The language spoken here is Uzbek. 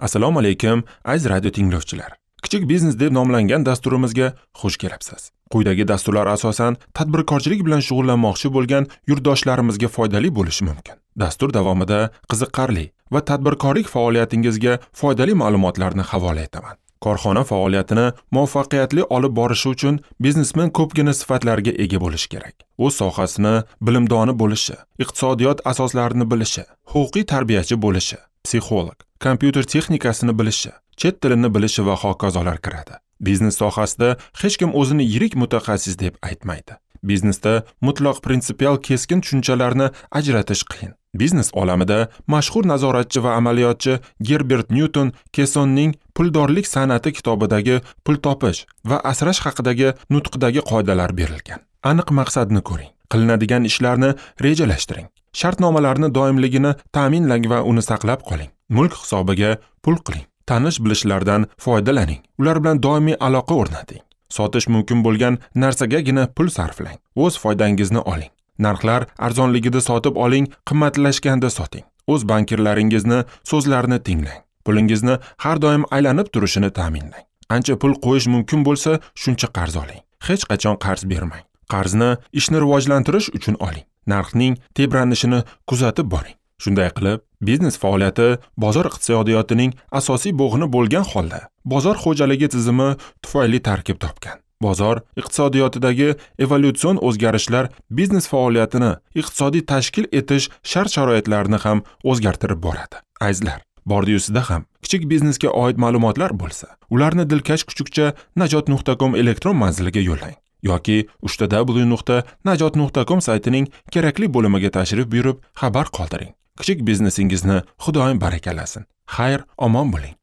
Assalomu alaykum, aziz radio tinglovchilar. Kichik biznes deb nomlangan dasturimizga xush kelibsiz. Quyidagi dasturlar asosan tadbirkorchilik bilan shug'ullanmoqchi bo'lgan yurtdoshlarimizga foydali bo'lishi mumkin. Dastur davomida qiziqarli va tadbirkorlik faoliyatingizga foydali ma'lumotlarni havola etaman. Korxona faoliyatini muvaffaqiyatli olib borishi uchun biznesmen ko'pgina sifatlarga ega bo'lishi kerak. O'z sohasini bilimdoni bo'lishi, iqtisodiyot asoslarini bilishi, huquqiy tarbiyachi bo'lishi, psixolog, kompyuter texnikasini bilishi, chet tilini bilishi va hokazolar kiradi. Biznes sohasida hech kim o'zini yirik mutaxassis deb aytmaydi. Biznesda mutlaq prinsipial keskin tushunchalarni ajratish qiyin. Biznes olamida mashhur nazoratchi va amaliyotchi Gerbert Nyuton Kesonning Puldorlik san'ati kitobidagi pul topish va asrash haqidagi nutqidagi qoidalar berilgan. Aniq maqsadni ko'ring, qilinadigan ishlarni rejalashtiring, shartnomalarni doimligini ta'minlang va uni saqlab qoling. Mulk hisobiga pul qiling. Tanish bilishlardan foydalaning. Ular bilan doimiy aloqa o'rnating. Sotish mumkin bo'lgan narsagagina pul sarflang. O'z foydangizni oling. Narxlar arzonligida sotib oling, qimmatlashganda soting. O'z bankirlaringizni so'zlarini tinglang. Pulingizni har doim aylanib turishini ta'minlang. Qancha pul qo'yish mumkin bo'lsa, shuncha qarz oling. Hech qachon qarz bermang. Qarzni ishni rivojlantirish uchun oling. Narxning tebranishini kuzatib boring. Shunday qilib, biznes faoliyati bozor iqtisodiyotining asosiy bo'g'ini bo'lgan holda bozor xo'jaligi tizimi tufayli tarkib topgan. Bozor iqtisodiyotidagi evolyutsion o'zgarishlar biznes faoliyatini iqtisodiy tashkil etish shart-sharoitlarini ham o'zgartirib boradi. Azizlar, bordi-yusida ham kichik biznesga oid ma'lumotlar bo'lsa, ularni dilkash kuchukcha najot.com elektron manziliga yo'llang yoki www.najot.com saytining kerakli bo'limiga tashrif buyurib xabar qoldiring. Kichik biznesingizni Xudoyim barakalasin. Xayr, omon bo'ling.